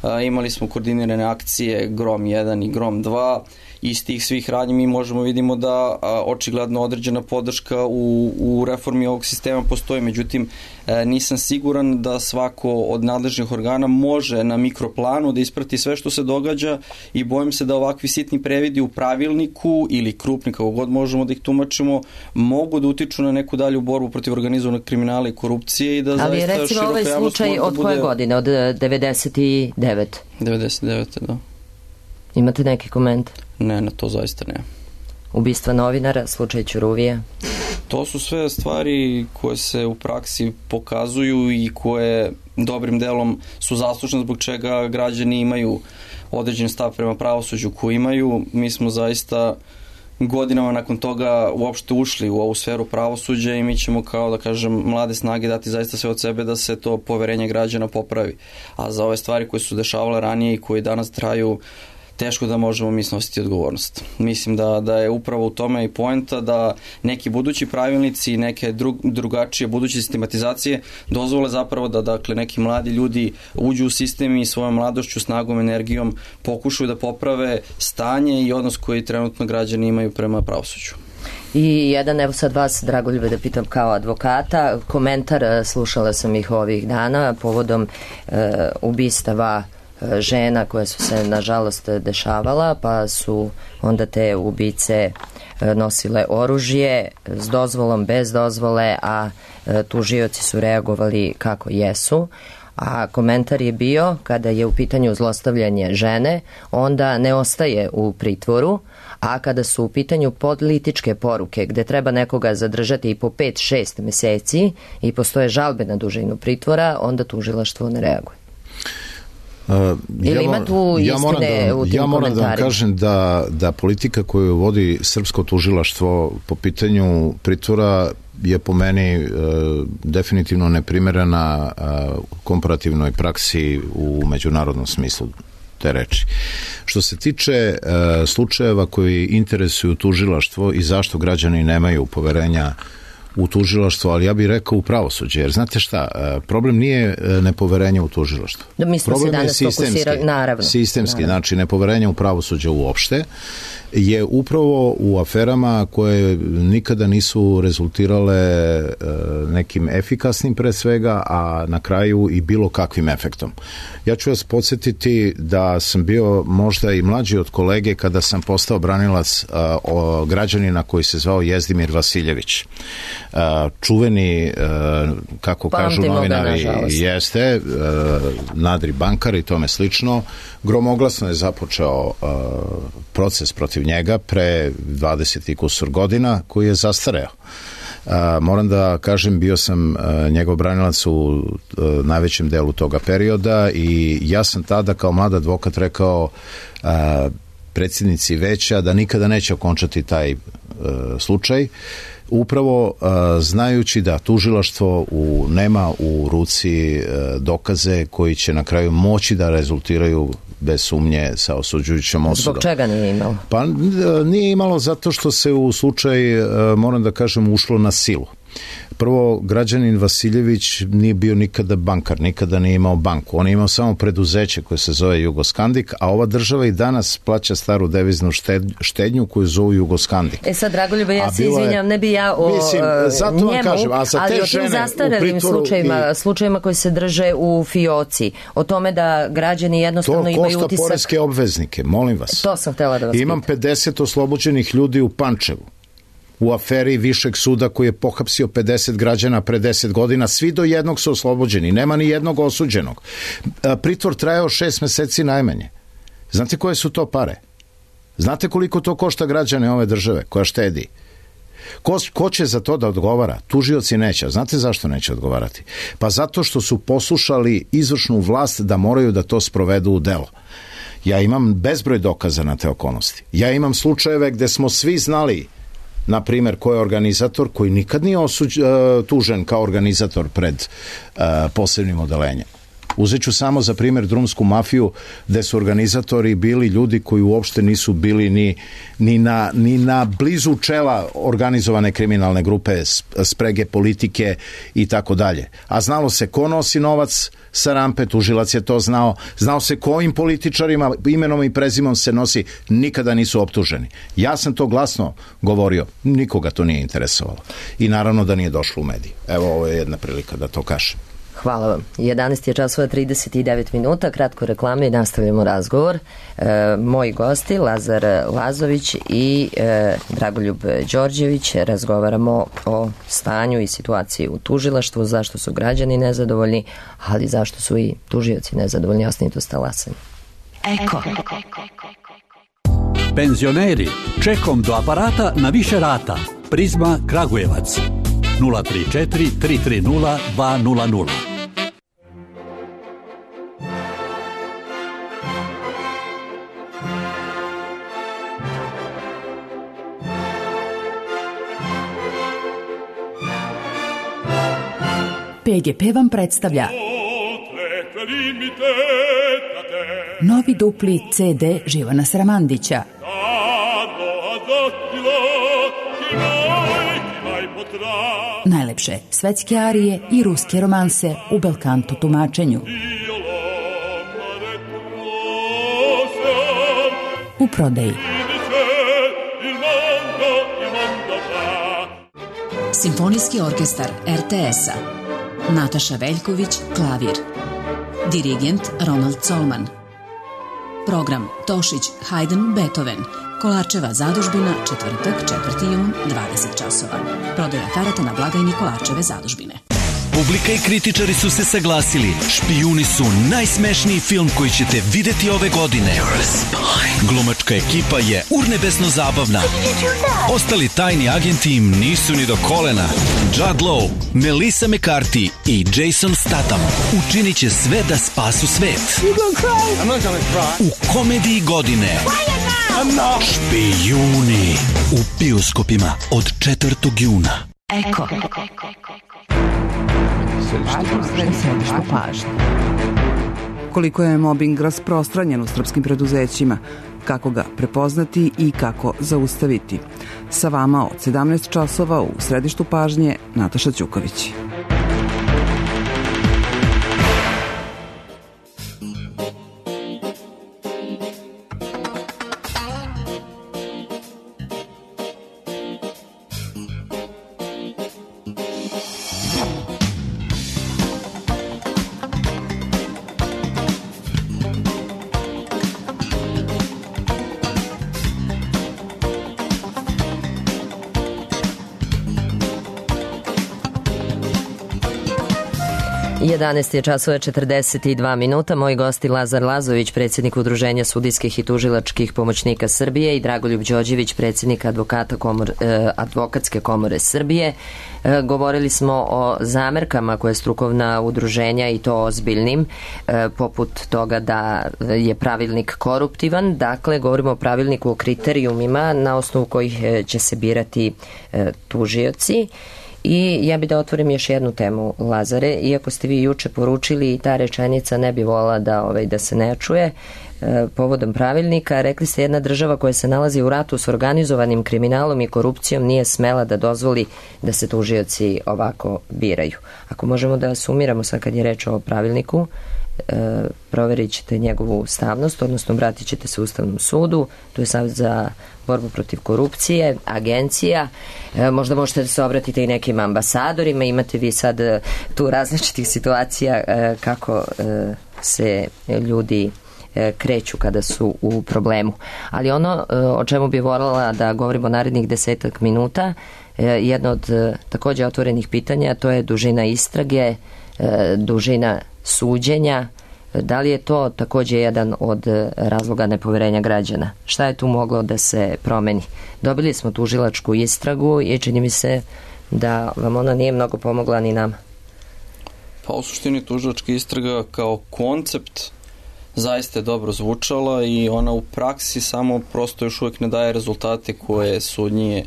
a, imali smo koordinirane akcije Grom jedan i Grom dva. Iz tih svih radnji mi možemo vidimo da a, očigledno određena podrška u, u reformi ovog sistema postoji, međutim e, nisam siguran da svako od nadležnih organa može na mikroplanu da isprati sve što se događa i bojim se da ovakvi sitni previdi u pravilniku ili krupni, kako god možemo da ih tumačimo, mogu da utiču na neku dalju borbu protiv organizovanog kriminala i korupcije i da ali zaista recimo široka ovaj javnost slučaj može da od koje bude... godine? Od devedeset devete. devedeset devete da. Imate neki komentar? Ne, na to zaista ne. Ubistva novinara, slučaj Ćuruvije? To su sve stvari koje se u praksi pokazuju i koje dobrim delom su zaslužne zbog čega građani imaju određen stav prema pravosuđu koji imaju. Mi smo zaista godinama nakon toga uopšte ušli u ovu sferu pravosuđa i mi ćemo kao da kažem mlade snage dati zaista sve od sebe da se to poverenje građana popravi. A za ove stvari koje su dešavale ranije i koje danas traju, teško da možemo mi snositi odgovornost. Mislim da, da je upravo u tome i poenta da neki budući pravilnici, neke drug, drugačije buduće sistematizacije dozvole zapravo da dakle neki mladi ljudi uđu u sistem i svojom mladošću, snagom, energijom pokušaju da poprave stanje i odnos koji trenutno građani imaju prema pravosuđu. I jedan, evo sad vas, Dragoljube, da pitam kao advokata, komentar, slušala sam ih ovih dana povodom e, ubistava žena koje su se nažalost dešavala, pa su onda te ubice nosile oružje s dozvolom, bez dozvole, a tužioci su reagovali kako jesu. A komentar je bio, kada je u pitanju zlostavljanje žene, onda ne ostaje u pritvoru, a kada su u pitanju političke poruke gde treba nekoga zadržati i po pet šest meseci i postoje žalbe na dužinu pritvora, onda tužilaštvo ne reaguje. Uh, Ili ima tu ja istine moram da, u tim ja moram da vam komentarima? kažem da, da politika koju vodi srpsko tužilaštvo po pitanju pritvora je po meni e, definitivno neprimerena e, komparativnoj praksi u međunarodnom smislu te reči. Što se tiče e, slučajeva koji interesuju tužilaštvo i zašto građani nemaju poverenja u tužilaštvo, ali ja bih rekao u pravosuđe, jer znate šta, problem nije nepoverenje u tužilaštvo. Da, mi smo problem se danas fokusirali, naravno. Sistemski, naravno. Znači nepoverenje u pravosuđe uopšte je upravo u aferama koje nikada nisu rezultirale e, nekim efikasnim pre svega, a na kraju i bilo kakvim efektom. Ja ću vas podsjetiti da sam bio možda i mlađi od kolege kada sam postao branilac a, o građanina koji se zvao Jezdimir Vasiljević. A, čuveni, a, kako Pamtimo kažu novinari, ga, jeste, a, nadri bankar i tome slično. Gromoglasno je započeo a, proces protiv njega pre dvadeset i kusur godina koji je zastareo. A, moram da kažem, bio sam a, njegov branilac u a, najvećem delu toga perioda i ja sam tada kao mlad advokat rekao a, predsjednici veća da nikada neće okončati taj a, slučaj, upravo a, znajući da tužilaštvo u, nema u ruci a, dokaze koji će na kraju moći da rezultiraju bez sumnje sa osuđujućom osudom. Zbog čega nije imalo? Pa nije imalo zato što se u slučaj, moram da kažem, ušlo na silu. Prvo, građanin Vasiljević nije bio nikada bankar, nikada nije imao banku. On je imao samo preduzeće koje se zove Jugoskandik, a ova država i danas plaća staru deviznu štednju koju zovu Jugoskandik. E sad, Dragoljube, ja se izvinjam, ne bi ja o mislim, zato njemu, vam kažem, a za te ali o žene tim zastarelim slučajima, i... slučajima koji se drže u fioci, o tome da građani jednostavno imaju utisak... To košta poreske obveznike, molim vas. To sam htela da vas Imam pitam. pedeset oslobođenih ljudi u Pančevu, u aferi Višeg suda koji je pohapsio pedeset građana pre deset godina, svi do jednog su oslobođeni, nema ni jednog osuđenog. Pritvor trajao šest meseci najmanje. Znate koje su to pare? Znate koliko to košta građane ove države koja štedi? Ko, ko će za to da odgovara? Tužioci neće. Znate zašto neće odgovarati? Pa zato što su poslušali izvršnu vlast da moraju da to sprovedu u delo. Ja imam bezbroj dokaza na te okolnosti. Ja imam slučajeve gde smo svi znali, na primjer, ko je organizator, koji nikad nije osuđ, uh, tužen kao organizator pred uh, posebnim odelenjem. Uzet ću samo za primjer drumsku mafiju, gde su organizatori bili ljudi koji uopšte nisu bili ni, ni, na, ni na blizu čela organizovane kriminalne grupe, sprege politike i tako dalje. A znalo se ko nosi novac sa rampe, tužilac je to znao, znao se kojim političarima imenom i prezimom se nosi, nikada nisu optuženi. Ja sam to glasno govorio, nikoga to nije interesovalo. I naravno da nije došlo u mediji. Evo, ovo je jedna prilika da to kažem. Hvala vam. jedanaest je časova trideset devet minuta, kratko reklame i nastavljamo razgovor. E, moji gosti, Lazar Lazović i e, Dragoljub Đorđević, razgovaramo o stanju i situaciji u tužilaštvu, zašto su građani nezadovoljni, ali zašto su i tužioci nezadovoljni. Ostanite uz talasanje. Eko. Penzioneri, čekom do aparata na više rata. Prizma Kragujevac. nula tri četiri tri tri nula dva nula nula. P G P vam predstavlja novi dupli C D Živana Sramandića. Najlepše svetske arije i ruske romanse u belkanto tumačenju. U prodaji. Simfonijski orkestar R T S-a. Nataša Veljković, klavir. Dirigent Ronald Colman. Program Tošić, Haydn, Beethoven. Kolarčeva zadužbina, četvrtak, četvrti jun, dvadeset časova. Prodaja karata na blagajni Kolarčeve zadužbine. Publika i kritičari su se saglasili. Špijuni su najsmešniji film koji ćete videti ove godine. Glumačka ekipa je urnebesno zabavna. Ostali tajni agenti im nisu ni do kolena. Judd Law, Melissa McCarthy i Jason Statham učinit će sve da spasu svet. U komediji godine Špijuni u bioskopima od četvrtog juna. Eko. Središtu pažnje. Koliko je mobing rasprostranjen u srpskim preduzećima, kako ga prepoznati i kako zaustaviti. Sa vama od sedamnaest časova u središtu pažnje Nataša Ćuković. jedanaest je časova četrdeset dva minuta. Moji gosti Lazar Lazović, predsjednik Udruženja sudijskih i tužilačkih pomoćnika Srbije, i Dragoljub Đorđević, predsjednik advokata komor, eh, advokatske komore Srbije. Eh, govorili smo o zamerkama koje strukovna udruženja, i to ozbiljnim, eh, poput toga da je pravilnik koruptivan. Dakle, govorimo o pravilniku o kriterijumima na osnovu kojih eh, će se birati eh, tužioci. I ja bi da otvorim još jednu temu, Lazare, iako ste vi juče poručili i ta rečenica ne bi volala da, ovaj, da se ne čuje, e, povodom pravilnika, rekli ste jedna država koja se nalazi u ratu s organizovanim kriminalom i korupcijom nije smela da dozvoli da se tužioci ovako biraju. Ako možemo da sumiramo sad kad je reč o pravilniku, e, proverit ćete njegovu ustavnost, odnosno obratit ćete se Ustavnom sudu, tu je Savjet za borbu protiv korupcije, agencija, e, možda možete da se obratite i nekim ambasadorima, imate vi sad e, tu različitih situacija e, kako e, se ljudi e, kreću kada su u problemu. Ali ono e, o čemu bi voljela da govorimo narednih desetak minuta, e, jedno od e, također otvorenih pitanja, to je dužina istrage, e, dužina suđenja. Da li je to također jedan od razloga nepoverenja građana? Šta je tu moglo da se promeni? Dobili smo tužilačku istragu i čini mi se da vam ona nije mnogo pomogla ni nama. Pa u suštini tužilačka istraga kao koncept zaista je dobro zvučala i ona u praksi samo prosto još uvijek ne daje rezultate koje su od nje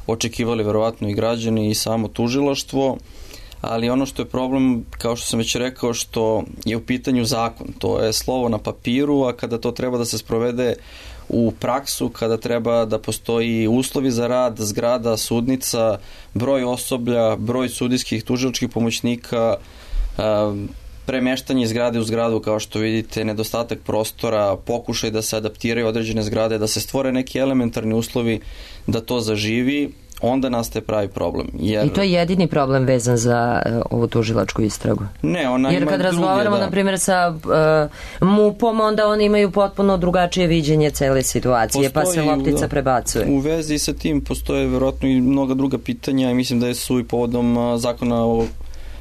očekivali verovatno i građani i samo tužilaštvo, ali ono što je problem, kao što sam već rekao, što je u pitanju zakon. To je slovo na papiru, a kada to treba da se sprovede u praksu, kada treba da postoji uslovi za rad, zgrada, sudnica, broj osoblja, broj sudijskih tužilačkih pomoćnika, premeštanje iz zgrade u zgradu, kao što vidite, nedostatak prostora, pokušaj da se adaptiraju određene zgrade, da se stvore neki elementarni uslovi da to zaživi, onda nastaje pravi problem. Jer... I to je jedini problem vezan za uh, ovu tužilačku istragu? Ne, ona Jer ima kad druge, razgovaramo, da. na primjer, sa uh, MUP-om, onda oni imaju potpuno drugačije viđenje cele situacije, postoji, pa se loptica da, prebacuje. U vezi sa tim postoje verovatno i mnoga druga pitanja i mislim da su i povodom uh, zakona o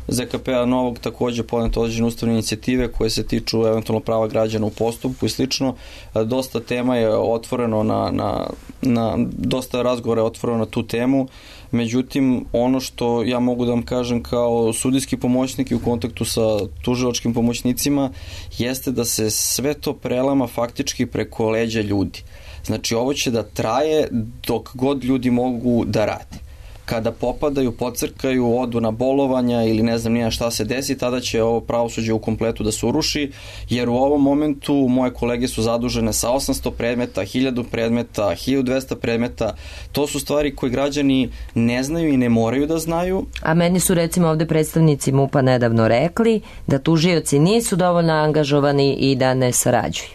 Z K P-a novog takođe podnete određene ustavne inicijative koje se tiču eventualno prava građana u postupku i slično. Dosta tema je otvoreno na, na, na dosta razgovora je otvoreno na tu temu. Međutim, ono što ja mogu da vam kažem kao sudijski pomoćnik i u kontaktu sa tužilačkim pomoćnicima jeste da se sve to prelama faktički preko leđa ljudi. Znači, ovo će da traje dok god ljudi mogu da rade. Kada popadaju, pocrkaju, odu na bolovanja ili ne znam nija šta se desi, tada će ovo pravosuđe u kompletu da se uruši, jer u ovom momentu moje kolege su zadužene sa osamsto predmeta, hiljadu predmeta, hiljadu dvesta predmeta. To su stvari koje građani ne znaju i ne moraju da znaju. A meni su recimo ovde predstavnici MUP-a nedavno rekli da tužioci nisu dovoljno angažovani i da ne sarađuju.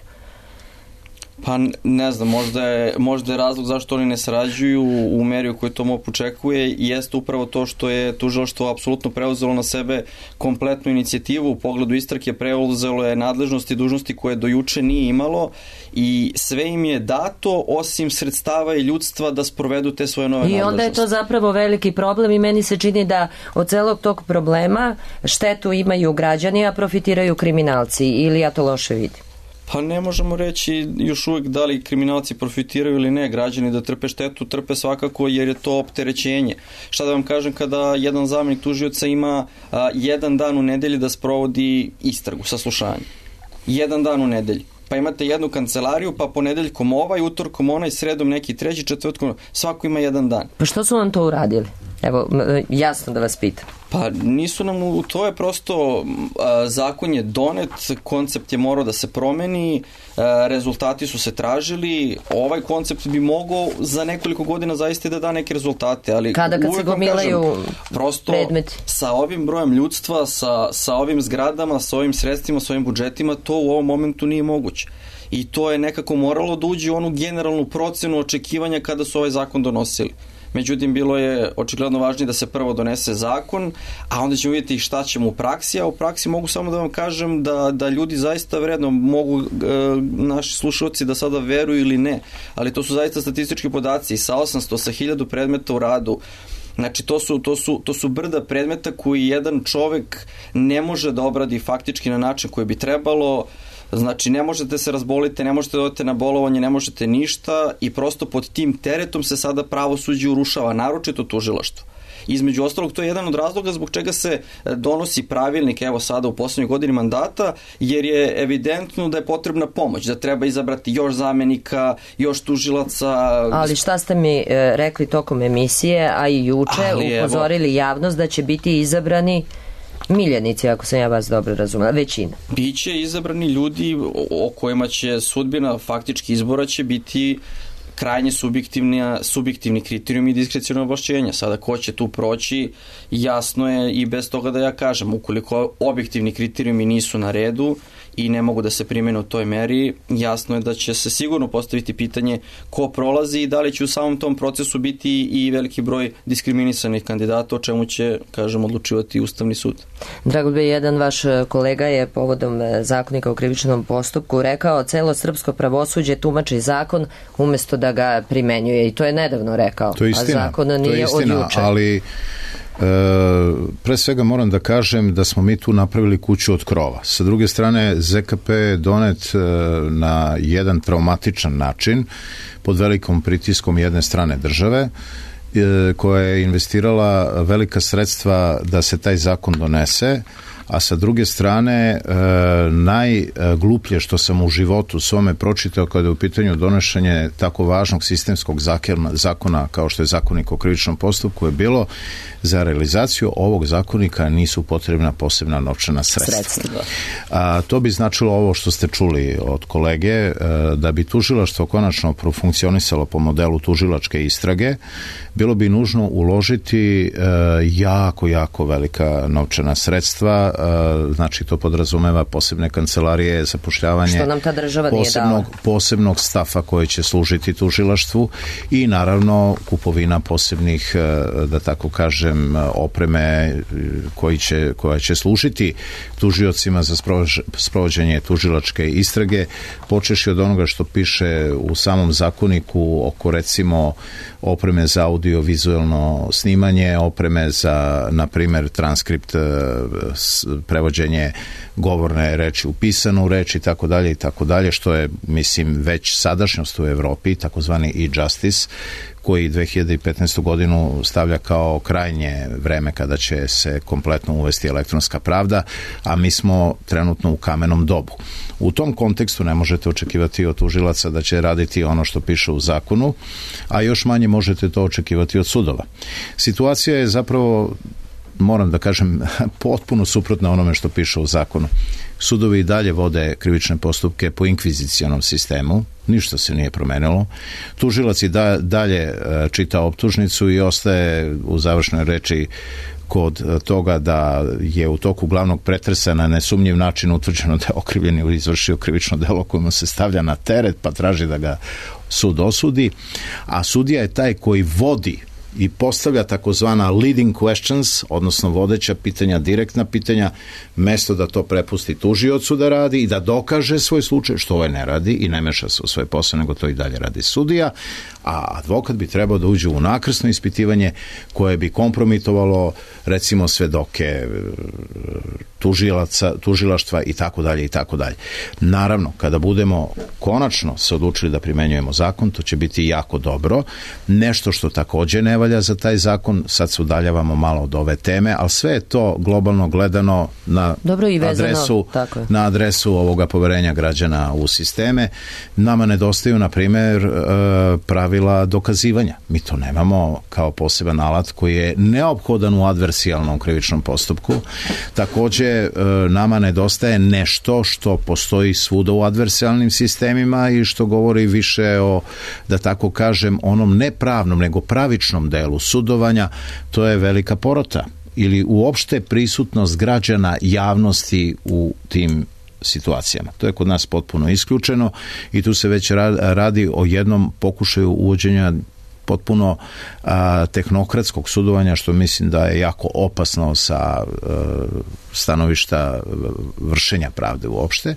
Pa ne znam, možda je, možda je razlog zašto oni ne sarađuju u meri u kojoj to MUP očekuje jeste upravo to što je tužilaštvo apsolutno preuzelo na sebe kompletnu inicijativu u pogledu istrage, preuzelo je nadležnosti i dužnosti koje do juče nije imalo i sve im je dato osim sredstava i ljudstva da sprovedu te svoje nove nadležnosti. I onda je to zapravo veliki problem i meni se čini da od celog tog problema štetu imaju građani, a profitiraju kriminalci, ili ja to loše vidim? Pa ne možemo reći još uvijek da li kriminalci profitiraju ili ne, građani da trpe štetu, trpe svakako jer je to opterećenje. Šta da vam kažem kada jedan zamenik tužioca ima a, jedan dan u nedelji da sprovodi istragu, saslušanje. Jedan dan u nedelji. Pa imate jednu kancelariju, pa ponedeljkom ovaj, utorkom onaj, sredom neki treći, četvrtkom, svako ima jedan dan. Pa što su vam to uradili? Evo, jasno da vas pitam. Pa nisu nam, to je prosto, a, zakon je donet, koncept je morao da se promeni, a, rezultati su se tražili, ovaj koncept bi mogao za nekoliko godina zaista da da neke rezultate, ali kada kad se gomilaju kažem, prosto predmeti. Sa ovim brojem ljudstva, sa, sa ovim zgradama, sa ovim sredstvima, sa ovim budžetima, to u ovom momentu nije moguće. I to je nekako moralo da uđe u onu generalnu procenu očekivanja kada su ovaj zakon donosili. Međutim, bilo je očigledno važnije da se prvo donese zakon, a onda ćemo vidjeti šta ćemo u praksi, a u praksi mogu samo da vam kažem da, da ljudi zaista vredno mogu, e, naši slušalci da sada veruju ili ne, ali to su zaista statistički podaci sa osamsto, sa hiljadu predmeta u radu. Znači, to su, to, su, to su brda predmeta koji jedan čovek ne može da obradi faktički na način koji bi trebalo. Znači, ne možete se razboliti, ne možete da odete na bolovanje, ne možete ništa i prosto pod tim teretom se sada pravosuđe urušava, naročito tužilaštvo. Između ostalog, to je jedan od razloga zbog čega se donosi pravilnik, evo sada u poslednjoj godini mandata, jer je evidentno da je potrebna pomoć, da treba izabrati još zamenika, još tužilaca. Ali šta ste mi e, rekli tokom emisije, a i juče Ali, upozorili evo, javnost da će biti izabrani miljenici, ako sam ja vas dobro razumela, većina. Biće izabrani ljudi o kojima će sudbina faktički izbora će biti krajnje subjektivni kriterijumi i diskreciono ovlašćenja. Sada ko će tu proći, jasno je i bez toga da ja kažem, ukoliko objektivni kriterijumi nisu na redu i ne mogu da se primene u toj meri, jasno je da će se sigurno postaviti pitanje ko prolazi i da li će u samom tom procesu biti i veliki broj diskriminisanih kandidata, o čemu će, kažem, odlučivati Ustavni sud. Dragoljube, jedan vaš kolega je povodom zakonika o krivičnom postupku rekao celo srpsko pravosuđe tumači zakon umesto da ga primenjuje i to je nedavno rekao. To je istina, a zakon nije to je istina, od juče. Ali E, pre svega moram da kažem da smo mi tu napravili kuću od krova. Sa druge strane, Z K P je donet e, na jedan traumatičan način, pod velikom pritiskom jedne strane države, e, koja je investirala velika sredstva da se taj zakon donese, a sa druge strane e, najgluplje što sam u životu svome pročitao kada je u pitanju donošenje tako važnog sistemskog zakona, zakona kao što je Zakonik o krivičnom postupku je bilo za realizaciju ovog zakonika nisu potrebna posebna novčana sredstva. sredstva. A, to bi značilo ovo što ste čuli od kolege, e, da bi tužilaštvo konačno profunkcionisalo po modelu tužilačke istrage, bilo bi nužno uložiti e, jako, jako velika novčana sredstva, e, znači to podrazumeva posebne kancelarije, zapošljavanje što nam ta država posebnog, nije dala. posebnog stafa koji će služiti tužilaštvu i naravno kupovina posebnih, e, da tako kažem, opreme koji će, koja će služiti tužiocima za sprovođenje tužilačke istrage, počeši od onoga što piše u samom zakoniku oko recimo opreme za audio-vizualno snimanje, opreme za, na primjer, transkript, prevođenje govorne reči u pisanu reč i tako dalje i tako dalje, što je, mislim, već sadašnjost u Evropi, takozvani e-justice, koji dve hiljade petnaestu godinu stavlja kao krajnje vreme kada će se kompletno uvesti elektronska pravda, a mi smo trenutno u kamenom dobu. U tom kontekstu ne možete očekivati od tužilaca da će raditi ono što piše u zakonu, a još manje možete to očekivati od sudova. Situacija je zapravo, moram da kažem, potpuno suprotna onome što piše u zakonu. Sudovi i dalje vode krivične postupke po inkvizicionom sistemu, ništa se nije promenilo. Tužilac i da, dalje čita optužnicu i ostaje u završnoj reči kod toga da je u toku glavnog pretresa na nesumnjiv način utvrđeno da je okrivljeni izvršio krivično delo koje mu se stavlja na teret, pa traži da ga sud osudi, a sudija je taj koji vodi i postavlja takozvana leading questions, odnosno vodeća pitanja, direktna pitanja, mesto da to prepusti tužiocu da radi i da dokaže svoj slučaj, što ovaj ne radi i ne meša se u svoj posao, nego to i dalje radi sudija, a advokat bi trebao da uđe u nakrsno ispitivanje koje bi kompromitovalo recimo svedoke, tužilaca, tužilaštva i tako dalje i tako dalje. Naravno, kada budemo konačno se odlučili da primenjujemo zakon, to će biti jako dobro. Nešto što takođe ne valja za taj zakon, sad se udaljavamo malo od ove teme, ali sve je to globalno gledano na dobro i vezano, adresu, na adresu ovoga poverenja građana u sisteme. Nama nedostaju, na primjer, pravila dokazivanja. Mi to nemamo kao poseban alat koji je neophodan u adversijalnom krivičnom postupku. Takođe, nama nedostaje nešto što postoji svuda u adversijalnim sistemima i što govori više o, da tako kažem, onom ne pravnom, nego pravičnom delu sudovanja, to je velika porota ili uopšte prisutnost građana, javnosti u tim situacijama. To je kod nas potpuno isključeno i tu se već radi o jednom pokušaju uvođenja potpuno a, tehnokratskog sudovanja, što mislim da je jako opasno sa a, stanovišta vršenja pravde uopšte.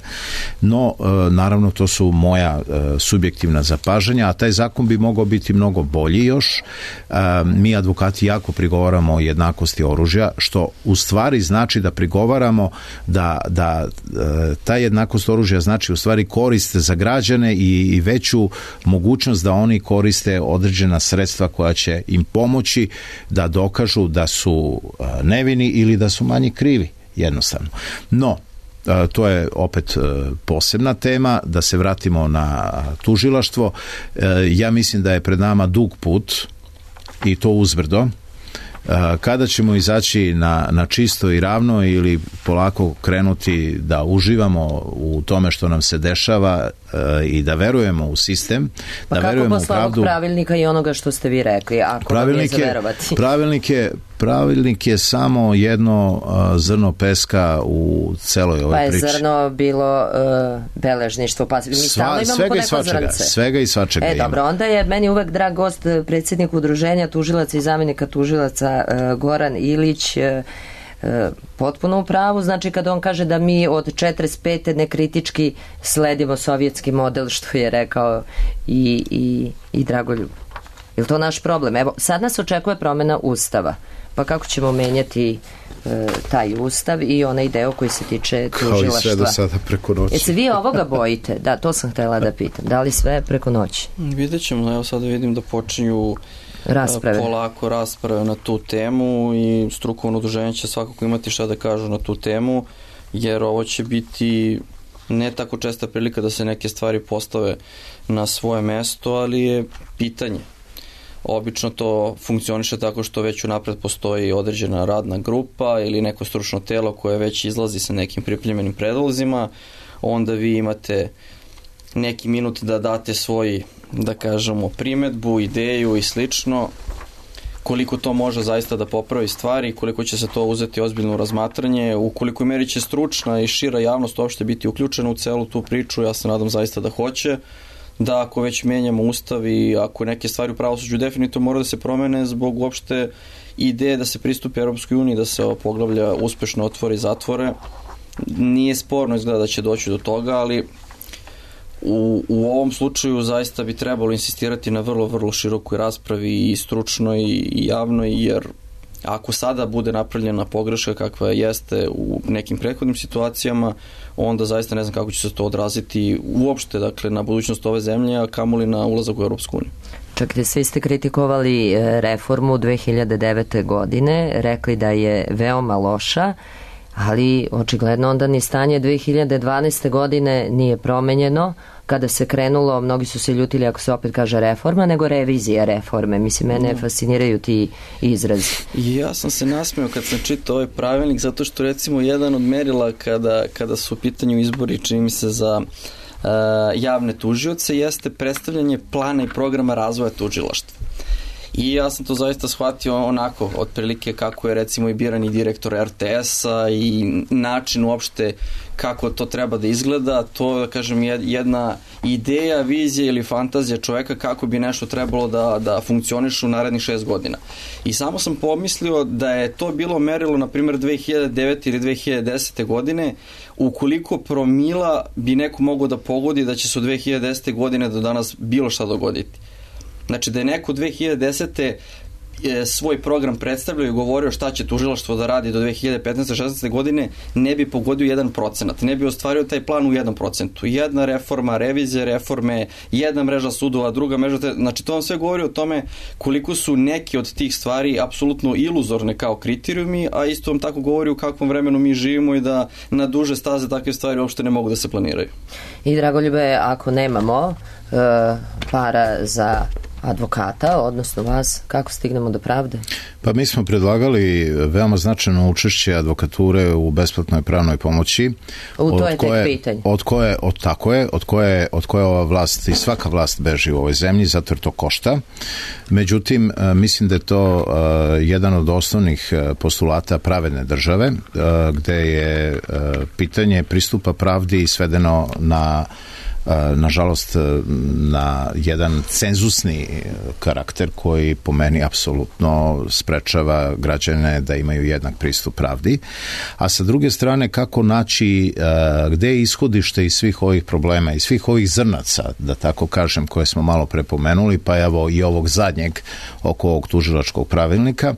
No, a, naravno, to su moja a, subjektivna zapažanja, a taj zakon bi mogao biti mnogo bolji još. A, mi, advokati, jako prigovaramo o jednakosti oružja, što u stvari znači da prigovaramo da, da a, ta jednakost oružja znači u stvari koriste za građane i, i veću mogućnost da oni koriste određena sredstva koja će im pomoći da dokažu da su nevini ili da su manje krivi, jednostavno. No, to je opet posebna tema, da se vratimo na tužilaštvo. Ja mislim da je pred nama dug put i to uzbrdo. Kada ćemo izaći na, na čisto i ravno ili polako krenuti da uživamo u tome što nam se dešava i da verujemo u sistem, pa da verujemo u pravdu. Pa kako posle ovog pravilnika i onoga što ste vi rekli, ako vam je zaverovati? Pravilnik je, pravilnik je samo jedno uh, zrno peska u celoj ovoj priči. Pa je zrno bilo uh, beležništvo, pa mi stalno imamo svega po neko svačega, zrnce. Svega i svačega E, ima. dobro, onda je meni uvek drag gost predsjednik udruženja tužilaca i zamjenika tužilaca uh, Goran Ilić, uh, potpuno u pravu, znači kada on kaže da mi od četrdeset pete nekritički sledimo sovjetski model, što je rekao i, i, i Dragoljub. Je li to naš problem? Evo, sad nas očekuje promjena ustava, pa kako ćemo menjati e, taj ustav i onaj deo koji se tiče tužilaštva? Kao i sve do sada preko noći. Jeste vi ovoga bojite? Da, to sam htjela da pitam. Da li sve preko noći? Vidjet ćemo, evo sada vidim da počinju rasprave. polako rasprave na tu temu i strukovno udruženje će svakako imati šta da kažu na tu temu, jer ovo će biti ne tako česta prilika da se neke stvari postave na svoje mesto, ali je pitanje. Obično to funkcioniše tako što već unapred postoji određena radna grupa ili neko stručno telo koje već izlazi sa nekim pripremljenim predlozima, onda vi imate neki minut da date svoj, da kažemo, primetbu, ideju i slično, koliko to može zaista da popravi stvari, koliko će se to uzeti ozbiljno u razmatranje, u koliko meri će stručna i šira javnost uopšte biti uključena u celu tu priču, ja se nadam zaista da hoće, da ako već menjamo ustav i ako neke stvari u pravosuđu definitivno mora da se promene zbog uopšte ideje da se pristupi Europskoj uniji, da se ova poglavlja uspešno otvori i zatvore. Nije sporno izgleda da će doći do toga, ali u, u ovom slučaju zaista bi trebalo insistirati na vrlo, vrlo širokoj raspravi i stručnoj i javnoj, jer ako sada bude napravljena pogreška kakva jeste u nekim prethodnim situacijama, onda zaista ne znam kako će se to odraziti uopšte, dakle, na budućnost ove zemlje, a kamoli na ulazak u Europsku uniju. Čak i svi ste kritikovali reformu dve hiljade devete. godine, rekli da je veoma loša, ali očigledno onda ni stanje dve hiljade dvanaeste. godine nije promenjeno. Kada se krenulo, mnogi su se ljutili ako se opet kaže reforma, nego revizija reforme. Mislim, mene fasciniraju ti izrazi. Ja sam se nasmeo kad sam čitao ovaj pravilnik, zato što recimo jedan od merila kada, kada su u pitanju izbori, čini mi se, za uh, javne tužioce, jeste predstavljanje plana i programa razvoja tužilaštva. I ja sam to zaista shvatio onako, otprilike kako je recimo i birani direktor er te es-a i način uopšte kako to treba da izgleda, to da kažem jedna ideja, vizija ili fantazija čoveka kako bi nešto trebalo da, da funkcioniše u narednih šest godina. I samo sam pomislio da je to bilo merilo, na primjer, dve hiljade devete. ili dve hiljade desete. godine, ukoliko promila bi neko mogao da pogodi da će se od dve hiljade desete. godine do danas bilo šta dogoditi. Znači da je neko dve hiljade desete. svoj program predstavljao i govorio šta će tužilaštvo da radi do dve hiljade petnaeste. šesnaeste. godine, ne bi pogodio jedan procenat, ne bi ostvario taj plan u jedan procentu. Jedna reforma, revizija reforme, jedna mreža sudova, druga mreža, te, znači to vam sve govori o tome koliko su neke od tih stvari apsolutno iluzorne kao kriterijumi, a isto vam tako govori u kakvom vremenu mi živimo i da na duže staze takve stvari uopšte ne mogu da se planiraju. I Dragoljube, ako nemamo uh, para za advokata, odnosno vas, kako stignemo do pravde? Pa mi smo predlagali veoma značajno učešće advokature u besplatnoj pravnoj pomoći. U to je koje, tek pitanje. Od koje, od, tako je, od koje, od koje ova vlast i svaka vlast beži u ovoj zemlji, zato jer to košta. Međutim, mislim da je to uh, jedan od osnovnih postulata pravedne države, uh, gde je uh, pitanje pristupa pravdi svedeno na nažalost na jedan cenzusni karakter koji po meni apsolutno sprečava građane da imaju jednak pristup pravdi. A sa druge strane, kako naći gde je ishodište iz svih ovih problema i svih ovih zrnaca, da tako kažem, koje smo malo prepomenuli, pa evo i ovog zadnjeg oko ovog tužilačkog pravilnika.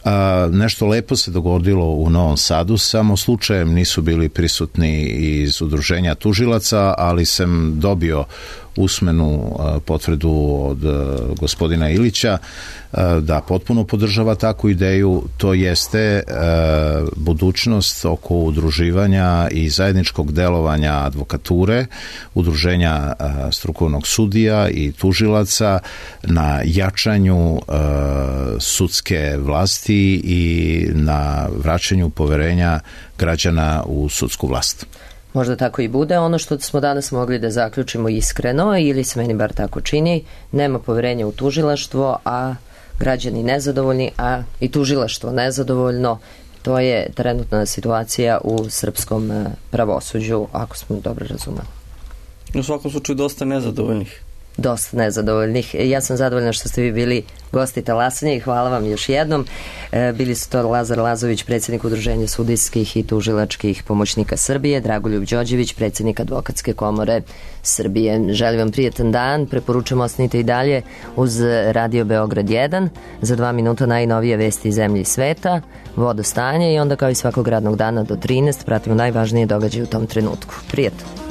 A, nešto lepo se dogodilo u Novom Sadu, samo slučajem nisu bili prisutni iz udruženja tužilaca, ali sam dobio usmenu a, potvrdu od a, gospodina Ilića a, da potpuno podržava takvu ideju. To jeste a, budućnost oko udruživanja i zajedničkog delovanja advokature, udruženja a, strukovnog sudija i tužilaca na jačanju a, sudske vlasti i na vraćanju poverenja građana u sudsku vlast. Možda tako i bude. Ono što smo danas mogli da zaključimo iskreno, ili se meni bar tako čini, nema poverenja u tužilaštvo, a građani nezadovoljni, a i tužilaštvo nezadovoljno. To je trenutna situacija u srpskom pravosuđu, ako smo dobro razumeli. U svakom slučaju dosta nezadovoljnih. Dosta nezadovoljnih. Ja sam zadovoljna što ste vi bili gosti Talasanja i hvala vam još jednom. Bili su to Lazar Lazović, predsjednik Udruženja sudijskih i tužilačkih pomoćnika Srbije, Dragoljub Đorđević, predsjednik Advokatske komore Srbije. Želim vam prijetan dan, preporučujem ostanite i dalje uz Radio Beograd jedan. Za dva minuta najnovije vesti iz zemlje i sveta, vodostanje i onda kao i svakog radnog dana do trinaest pratimo najvažnije događaje u tom trenutku. Prijetno.